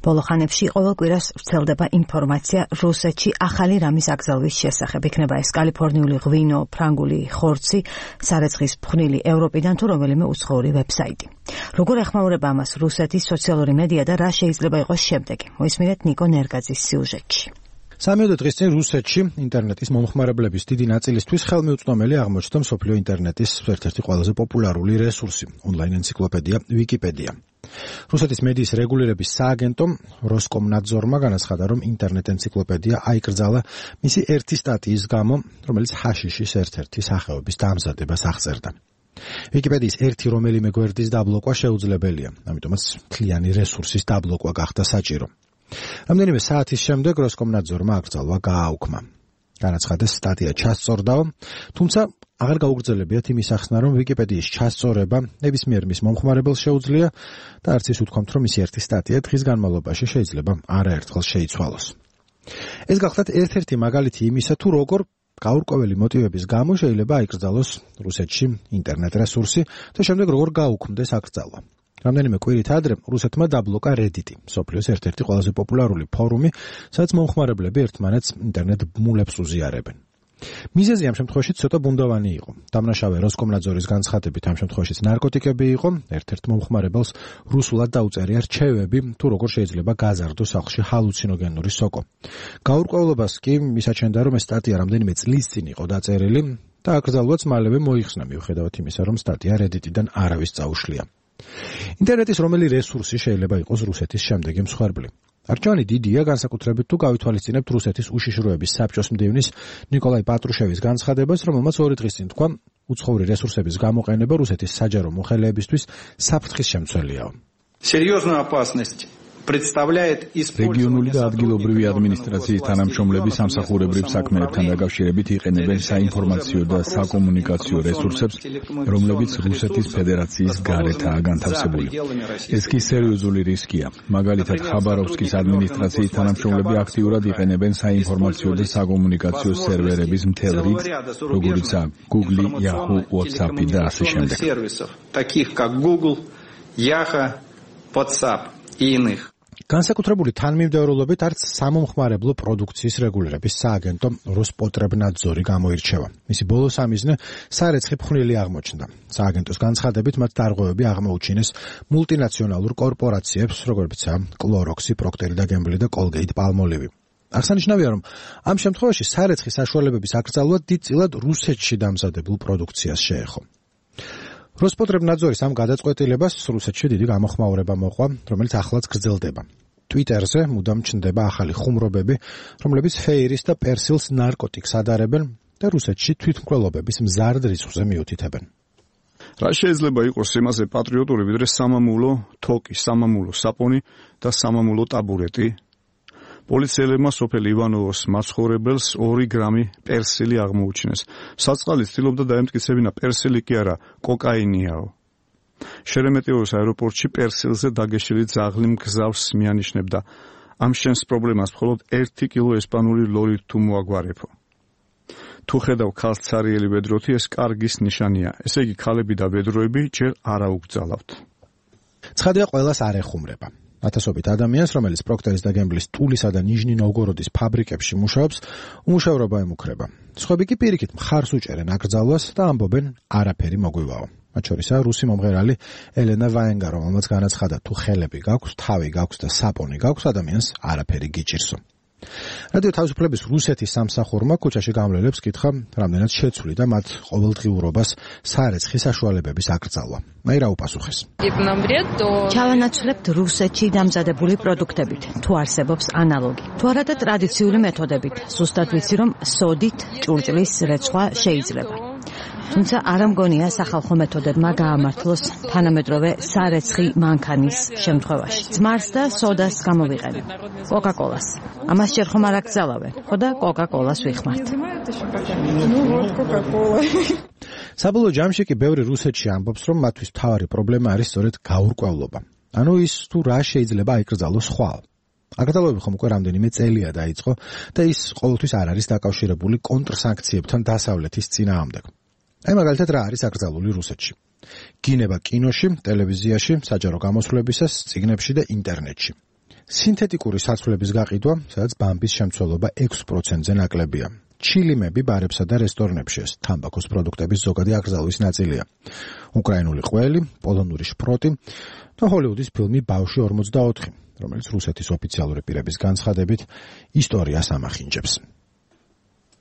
ბოლო ხანებში ყოველ კვირას ვრცელდება ინფორმაცია რუსეთში ახალი რამის აკრძალვის შესახებ. იქნება ეს კალიფორნიული ღვინო, ფრანგული ხორცი, სარეცხის ფხვნილი ევროპიდან თუ რომელიმე უცხოური ვებსაიტი. როგორ ეხმაურება ამას რუსეთის სოციალური მედია და რა შეიძლება იყოს შემდეგი? მოისმინეთ ნიკო ნერგაძის სიუჟეტში. 3 დღის წინ რუსეთში ინტერნეტის მომხმარებლების დიდი ნაწილისთვის ხელმიუწვდომელი აღმოჩნდა მსოფლიო ინტერნეტის ერთ-ერთი ყველაზე პოპულარული რესურსი, ონლაინ ენციკლოპედია ვიკიპედია. რუსეთის მედიის რეგულირების სააგენტომ როსკომნაძორმა განაცხადა, რომ ინტერნეტ ენციკლოპედია აიკრძალა მისი ერთი სტატიის გამო, რომელიც ჰაშიშის ერთ-ერთი სახეობის დამზადებას აღწერდა. ვიკიპედიის ერთი რომელიმე გვერდის დაბლოკვა შეუძლებელია, ამიტომაც მთლიანი რესურსის დაბლოკვა გახდა საჭირო. რამდენიმე საათის შემდეგ როსკომნაძორმა აკრძალვა გააუქმა. განაცხადეს, სტატია ჩასწორდაო, თუმცა აღარ გაუგრძელებიათ იმის ახსნა, რომ ვიკიპედიის ჩასწორება ნებისმიერ მის მომხმარებელს შეუძლია და არც ის უთქვამთ, რომ მისი ერთი სტატია დღის განმავლობაში შეიძლება არაერთხელ შეიცვალოს. ეს გახლავთ ერთ-ერთი მაგალითი იმისა, თუ როგორ გაურკვეველი მოტივების გამო შეიძლება აიკრძალოს რუსეთში ინტერნეტ რესურსი და შემდეგ როგორ გაუქმდეს აკრძალვა. რამდენიმე კვირით ადრე რუსეთმა დაბლოკა Reddit-ი, მსოფლიოს ერთ-ერთი ყველაზე პოპულარული ფორუმი, სადაც მომხმარებლები ერთმანეთს ინტერნეტ ბმულებს უზიარებენ. მიზეზი ამ შემთხვევაში ცოტა ბუნდოვანი იყო. დამნაშავე როსკომნაძორის განცხადებით ამ შემთხვევაშიც ნარკოტიკები იყო, ერთ-ერთ მომხმარებელს რუსულად დაუწერია რჩევები, თუ როგორ შეიძლება გაზარდოს სახლში ჰალუცინოგენური სოკო. გაურკვევლობას კი მისაჩენდა, რომ ეს სტატია რამდენიმე წლის წინ იყო დაწერილი და აკრძალვაც მალევე მოიხსნა, მიუხედავად იმისა, რომ სტატია Reddit-დან არავის წაუშლია. ინტერნეტის რომელი რესურსი შეიძლება იყოს რუსეთის შემდეგი მსხვერპლი. არჩევანი დიდია, განსაკუთრებით თუ გავითვალისწინებთ რუსეთის უშიშროების საბჭოს მდივნის ნიკოლაი პატრუშევის განცხადებას, რომელმაც 2 დღის წინ თქვა, უცხოური რესურსების გამოყენება რუსეთის საჯარო მოხელეებისთვის საფრთხის შემცველიაო. Серьезную опасность представляет რეგიონული და ადგილობრივი ადმინისტრაციის თანამშრომლები სამსახურებრივ საქმეებთან დაკავშირებით იყენებენ საინფორმაციო და საკომუნიკაციო რესურსებს, რომლებიც რუსეთის ფედერაციის გარეთაა განთავსებული. ეს კი სერიოზული რისკია. მაგალითად, ხაბაროვსკის ადმინისტრაციის თანამშრომლები აქტიურად იყენებენ საინფორმაციო და საკომუნიკაციო სერვერების მთელ რიგს, როგორიცაა Google, Yahoo, WhatsApp და ასე შემდეგ. таких как Google, Yahoo, WhatsApp и иных. განსაკუთრებული თანმიმდევრულობით არც სამომხმარებლო პროდუქციის რეგულირების სააგენტო როსპოტრებნაძორი გამოირჩევა. მისი ბოლო სამიზნე სარეცხი ფხვნილი აღმოჩნდა. სააგენტოს განცხადებით მათ დარღვევები აღმოუჩინეს მულტინაციონალურ კორპორაციებს, როგორებიცაა კლოროქსი, პროქტერი და გემბლი და კოლგეიტ პალმოლივი. აღსანიშნავია, რომ ამ შემთხვევაში სარეცხი საშუალებების აკრძალვა დიდწილად რუსეთში დამზადებულ პროდუქციას შეეხო. როსპოტრებნაძორის ამ გადაწყვეტილებას რუსეთში დიდი გამოხმაურება მოყვა, რომელიც ახლაც გრძელდება. Twitter-ზე მუდამ ჩნდება ახალი ხუმრობები, რომლებიც ფეირის და პერსილს ნარკოტიკს ადარებენ და რუსეთში თვითმკვლელობების მზარდ რისკზე მიუთითებენ. რა შეიძლება იყოს იმაზე პატრიოტული, ვიდრე სამამულო თოკი, სამამულო საპონი და სამამულო ტაბურეტი? პოლიციელებმა სოფელ ივანოვოს მაცხოვრებელს 2 გრამი პერსილი აღმოუჩინეს. საწყალი ცდილობდა დაემტკიცებინა პერსილი კი არა, კოკაინიაო. შერემეტიევის აეროპორტში პერსილზე დაგეშილი ძაღლი მგზავს მიანიშნებდა. ამ შენს პრობლემას მხოლოდ 1 კილო ესპანური ლოლი თუ მოაგვარებო. თუ ხედავ ქალს ცარიელი ვედროთი, ეს კარგის ნიშანია. ესე იგი ქალები და ვედროები ჯერ არ აუგზავნავთ. ცხადია, ყველას არ ეხუმრება. ათასობით ადამიანს, რომელიც პროქტერის და გემბლის ტულისა და ნიჟნი-ნოვგოროდის ფაბრიკებში მუშაობს, უმუშევრობა ემუქრება. სხვები კი პირიქით მხარს უჭერენ აკრძალვას და ამბობენ, არაფერი მოგვივაო. მათ შორისაა რუსი მომღერალი ელენა ვაენგა, რომელმაც განაცხადა, თუ ხელები გაქვს, თავი გაქვს და საპონი გაქვს, ადამიანს არაფერი გიჭირსო. რადიო თავისუფლების რუსეთის სამსახურმა ქუჩაში გამლელებს კითხა, რამდენად შეცვლიდა მათ ყოველდღიურობას სარეცხი საშუალებების აკრძალვა. მაირა უპასუხეს. ჩავანაცვლებთ რუსეთში დამზადებული პროდუქტებით, თუ არსებობს ანალოგი, თუ არა და ტრადიციული მეთოდებით. ზუსტად ვიცი, რომ სოდით ჭურჭლის რეცხვა შეიძლება. თუმცა არ მგონია სახალხო მეთოდებმა გაამართლოს თანამედროვე სარეცხი მანქანის შემთხვევაში. ძმარს და სოდას გამოვიყენებ. კოკა-კოლას. ამას ჯერ ხომ არ აკრძალავენ, ხო და კოკა-კოლას ვიხმართ. საბოლოო ჯამში კი ბევრი რუსეთში ამბობს, რომ მათთვის მთავარი პრობლემა არის სწორედ გაურკვევლობა. ანუ ის თუ რა შეიძლება აიკრძალოს ხვალ. აკრძალვები ხომ უკვე რამდენიმე წელია დაიწყო და ის ყოველთვის არ არის დაკავშირებული კონტრსანქციებთან დასავლეთის წინააღმდეგ. აი მაგალითად რა არის აკრძალული რუსეთში. გინება კინოში, ტელევიზიაში, საჯარო გამოსვლებისას, წიგნებში და ინტერნეტში. სინთეტიკური საცვლების გაყიდვა, სადაც ბამბის შემცველობა 6%-ზე ნაკლებია. ჩილიმები ბარებსა და რესტორნებში ეს თამბაქოს პროდუქტების ზოგადი აკრძალვის ნაწილია. უკრაინული ყველი, პოლონური შპროტი და ჰოლივუდის ფილმი ბავშვი 44, რომელიც რუსეთის ოფიციალური პირების განცხადებით ისტორიას ამახინჯებს.